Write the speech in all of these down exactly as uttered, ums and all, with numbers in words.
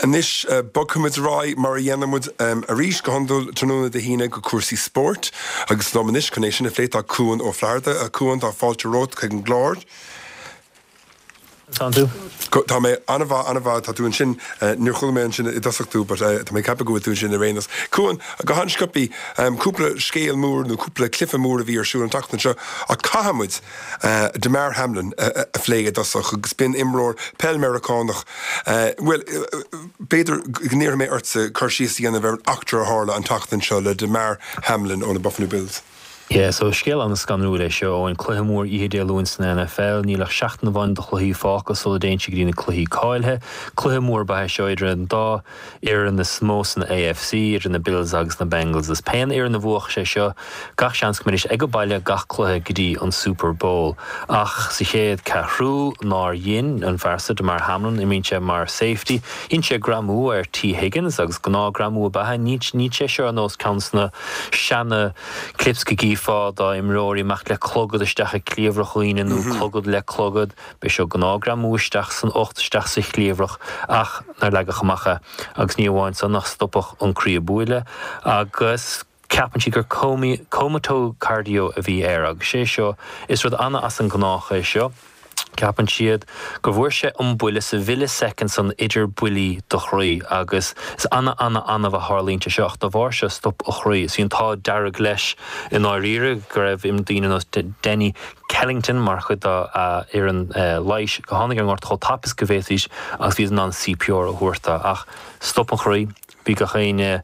Anois bogfaimid ar aghaidh mar a dhéanaimid arís go hiondúil tráthnóna Dé hAoine go cúrsaí spóirt agus liom anois chun é sin a phlé tá Cuan Ó Flatharta. A Chuan tá fáilte romhat chuig an gclár. Tá tú? Tá mé an-mhaith an-mhaith tá tú ansin níor chuala mé ansin i dtosach tú, but tá mé ag ceapadh go bhfuil tú ansin ar aon nós. Cuan go han-sciobtha cúpla scéal mór nó cúpla cluiche mór a bhí ar siúl an tseachtain seo ach caithfimid Damar Hamlin a phlé i dtosach agus b'in imreoir peil Meiriceánach bhuel b'fhéidir go n-iarrfaidh mé ortsa cur síos a dhéanamh ar an eachtra a tharla an tseachtain seo le Damar Hamlin ó na Buffalo Bills. Yeah, so scéal an-scanrúil é seo an cluiche mór oíche Dé Luain san NFL, níl ach seachtain amháin de chluichí fágtha sula dtéann sé go dtí na cluichí cáilithe. Cluiche mór ba ea seo idir an dá fhoireann is mó san AFC idir na Bills agus na Bengals. Is pé fhoireann a bhuafadh sé seo gach seans go mbeidís ag baile gach cluiche go dtí an Super Bowl. Ach sa chéad ceathrú nár dhein an fear seo Damar Hamlin imríonn sé mar safety, Dhein sé greamú ar Tee Higgins agus gnáthghreamú ab ea ní ní sé seo ar nós ceann sna seana clips go gcífeá d'imreoirí amach le clogad isteach i gcliabhrach daoine nó clogad le clogad, B'é seo gnáthghreamú isteach san ucht isteach sa chliabhrach ach nár leagadh amach é agus ní amháin san ach stopadh an croí ag bualadh agus ceapann siad gur comatose cardio a bhí air agus sé seo is rud ana as an ngnách é seo. Ceapann siad go bhfuair sé an buille sa mhillisecond san idir buillí do chroí agus is ana ana annamh a tharlaíonn sé seo ach dá bharr seo stop a chroí. Is bhí an t-ádh dearg leis i ndáiríre go raibh im daoine nós Denny Kellington mar chuid dá fhoireann leighis go tháinig ar an ngort chomh tapa is go bhféadfaidís agus bhí in ann CPR a thabhairt dó ach stop an chroí bhí gach éinne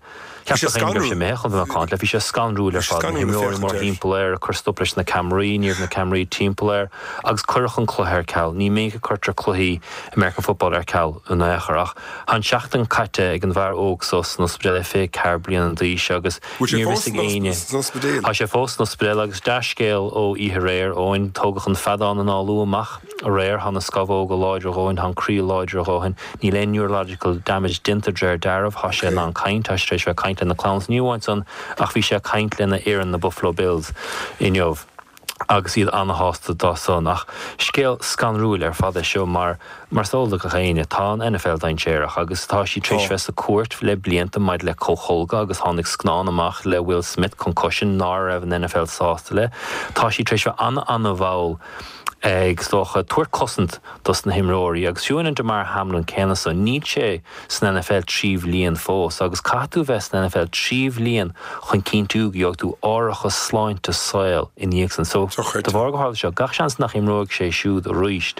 Bhí sé scanrúil chun bheith macánta bhí sé scanrúil ar fad na himreoirí mórthimpeall air a chur stop leis na ceamaraí ní raibh na ceamaraí timpeall air agus cuireadh an cluiche ar ceal ní minic a chuirtear cluichí American football ar ceal in aon chor ach tá an seachtain caite ag an bhfear óg so san ospidéal é fiche ceathair bliana d'aois agus Bhfuil sé ní fós ag éinne san ospidéal? Tá sé fós san ospidéal agus dea-scéal ó oíche aréir Eoin tógadh an feadán análú amach aréir tá na scamhóga láidir a dhóthain tá an croí láidir a dhóthain níl aon neurological damage déanta de réir dealraimh tá sé in ann caint tá sé tar éis bheith caint lena chlann ní amháin san ach bhí sé caint lena fhoireann na Buffalo Bills inniu agus iad an-shásta dá son ach scéal scanrúil ar fad é seo mar mar is eol do gach éinne tá an NFL dainséarach agus tá sí tar éis bheith sa chúirt le blianta maidir le comhtholgadh agus tháinig scannán amach le Will Smith Concussion ná raibh an NFL sásta le tá sí tar éis bheith ana ana-mhall ag stocha tabhairt cosaint dos na himreoirí agus fiú an Damar Hamlin céanna so níl sé san NFL trí bhliain fós agus caithfidh tú bheith san NFL trí bhliain chun cinntiú go bhfaighidh tú árachas sláinte saoil ina dhiaidh san so de bharr go tharla seo gach seans nach imreoidh sé siúd arís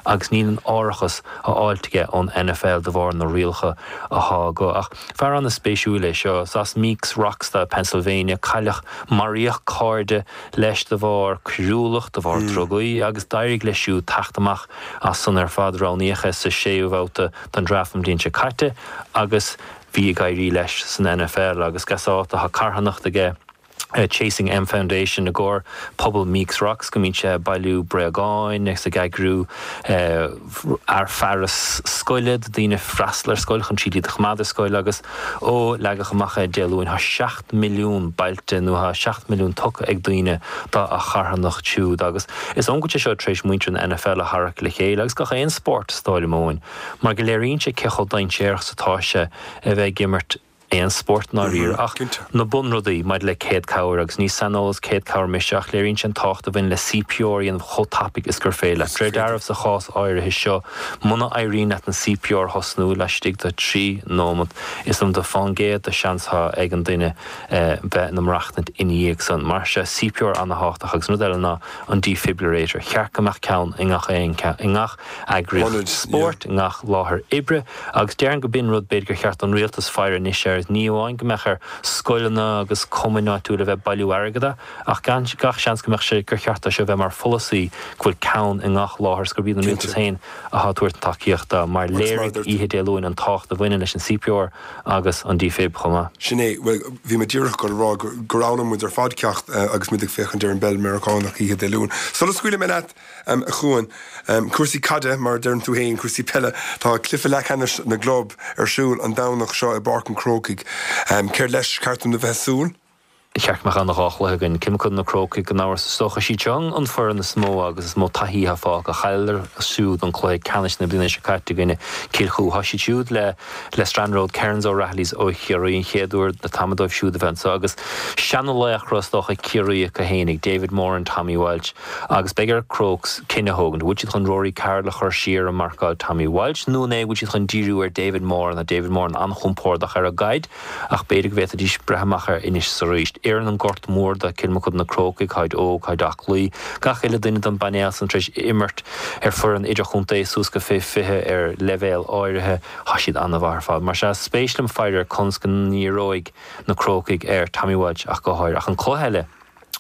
agus níl an árachas a fháilt aige ón NFL de bharr na rialacha atá go ach fear an-spéisiúil é seo as Meeks Rocks Pennsylvania cailleadh maraíodh cairde leis de bharr coiriúlacht de bharr drugaí agus d'éirigh leis siúd teacht amach as san ar fad roghnaíodh é sa séú babhta den draft an bhliain seo caite agus bhí ag éirí leis san NFL agus gasá tá carthanacht aige Uh, Chasing M Foundation i gcomhair pobal Meeks Rocks go mbíonn sé bailiú bréagáin agus ag eagrú uh, ar fearas scoile daoine freastal ar scoil chun siad a choimeád ar scoil agus ó leagadh amach é Dé Luain tá seacht milliún bailithe nó tá seacht milliún tugtha ag daoine dá a charthanacht siúd agus is an sé seo tar éis muintir an NFL a tharrac le chéile agus gach aon spórt stáile mar go léiríonn sé cé chomh dainséarach is atá sé a bheith ag imirt aon spórt ná riar ach na bunrudaí maidir le céad cabhair agus ní saineolaí céad cabhair mise ach léiríonn sin tábhacht a bhain le CPR an chomh tapaidh is gur féidir. De réir dealraimh sa chás áirithe seo muna n-éiríonn leat an CPR thosnú laistigh de trí nóiméad is ionta fán gcéad de seans ag an duine bheith ina maireachtaint ina dhiaidh san mar sé CPR an-tábhachtach agus rud eile ná an defibrillator cheart go mbeadh ceann i ngach aon i ngach eagraíocht spóirt i ngach láthair oibre agus déarfainn go b'in rud b'fhéidir gur cheart an rialtas faire anois ar ní amháin go mbeadh ar scoileanna agus cumainn áitiúil a bheith bailiú airgid ach gan gach seans go mbeadh sé gur cheart sé bheith mar pholasaí go bhfuil ceann i ngach láthair gur bíonn an rialtas féin a tabhairt tacaíochta mar léirigh oíche Dé Luain an tábhacht a bhaineann leis an CPR agus an defib chomh maith. Sin é bhí mé díreach ag rá gur fhoghlaim muid ar fad ceacht agus muid ag féachaint ar an bpeil Meiriceánach oíche Dé Luain. Sula scaoilfidh mé leat a Chuain cúrsaí caide mar deireann tú féin cúrsaí peile tá cluiche leathcheannais na gclub ar siúl an Domhnach seo i bPáirc an Chrócaigh. Céard leis ceart dom a bheith ag súil? Cheart go mbeadh ana dhá chluiche againn. Kilmacud na Crócaigh gan amhras is dócha. Siad seo an foireann is mó agus is mó taithí atá fágtha. Chailleadar siúd an cluiche ceannais na bliana seo caite i gcoinne Cill Chua. Tá siad siúd le le Strand Road Kerins O'Rahilly's ó Chiarraí an chéad uair le tamall dóibh siúd a bheith anseo agus seana laochra is dócha Ciarraí acu fhéinig, David Moran, Tommy Walsh agus beidh ar Crokes cinneadh a thógaint. Bhfuil siad chun Rory Carroll a chur siar a marcáil Tommy Walsh nó an é bhfuil siad chun díriú ar David Moran? Tá David Moran an-chompordach ar an gcaid ach b'fhéidir go bhféadfaidís breith amach air anois is arís. Oireann an Gort Mór do Kilmacud na Crócaigh, táid óg, táid aclaí. Gach uile duine den bpainéal san tar éis imirt ar foireann idirchontae suas go fé fiche ar leibhéal áirithe. Tá siad an-mhaith ar fad. Mar sea, is spéis liom faire ar conas go ndíreoidh na Crócaigh ar Tommy Walsh ach go háirithe. Ach an cluiche eile,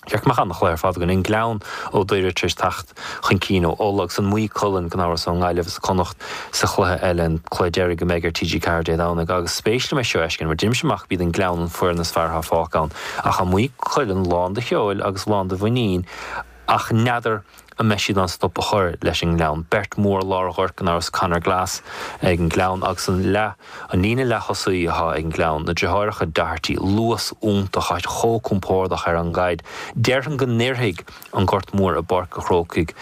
Cheart go mbeadh an-chluiche ar fad againn. An Gleann ó Dhoire tar éis teacht chun cinn ó Uladh agus an Maigh Cuilinn gan amhras ón nGaillimh is Connacht sa chluiche eile, an cluiche deiridh a mbeidh ar T G ceathair Dé Domhnaigh. Agus spéis liom é seo a fheiscint mar deirimse amach b'iad an Gleann an foireann is fearr atá fágtha ann ach tá Maigh Cuilinn lán de cheoil agus lán de mhuinín ach n'fheadar an mbeidh siad in ann stop a chur leis an nGleann. Beirt mhór lár an ghoirt gan amhras, Conor Glass ag an nGleann agus an leath, an líne leath-thosaí atá ag an nGleann, na deartháireacha Doherty, luas iontach, tá siad chomh compordach ar an gcaid. Déarfainn go n-oirfidh an Gort Mór i bPáirc an Chrócaigh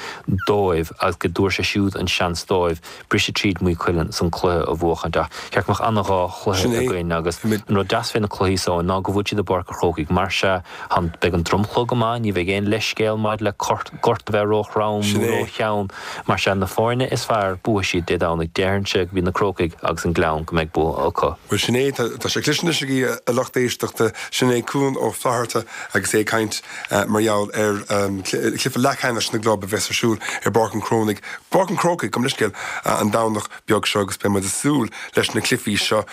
dóibh agus go dtabharfaidh sé siúd an seans dóibh briseadh tríd Maigh Cuilinn is an cluiche a bhuachaint. Ach cheart go mbeadh ana-dhá chluiche againn agus an rud deas fé na cluichí so ná go bhfuil siad i bPáirc an Chrócaigh. Mar sea, beidh an dromchla go maith, ní bheidh aon leithscéal maidir le gort a bheith róthrom nó rótheann. Mar sea, na foirne is fearr, buafaidh siad Dé Domhnaigh. Déarfainnse go mb'iad na Crócaigh agus an Gleann go mbeidh bua acu. Bhuel, sin é, tá sé cliste anois agaibh, a lucht éisteachta. Sin é Cuan Ó Flatharta agus é ag caint mar gheall ar chluiche leathcheannais na gclub a bheas ar siúl i bPáirc an Chrónaigh, Páirc an Chrócaigh, gabh mo leithscéal, an Domhnach beag seo agus beidh muid ag súil leis na cluichí seo.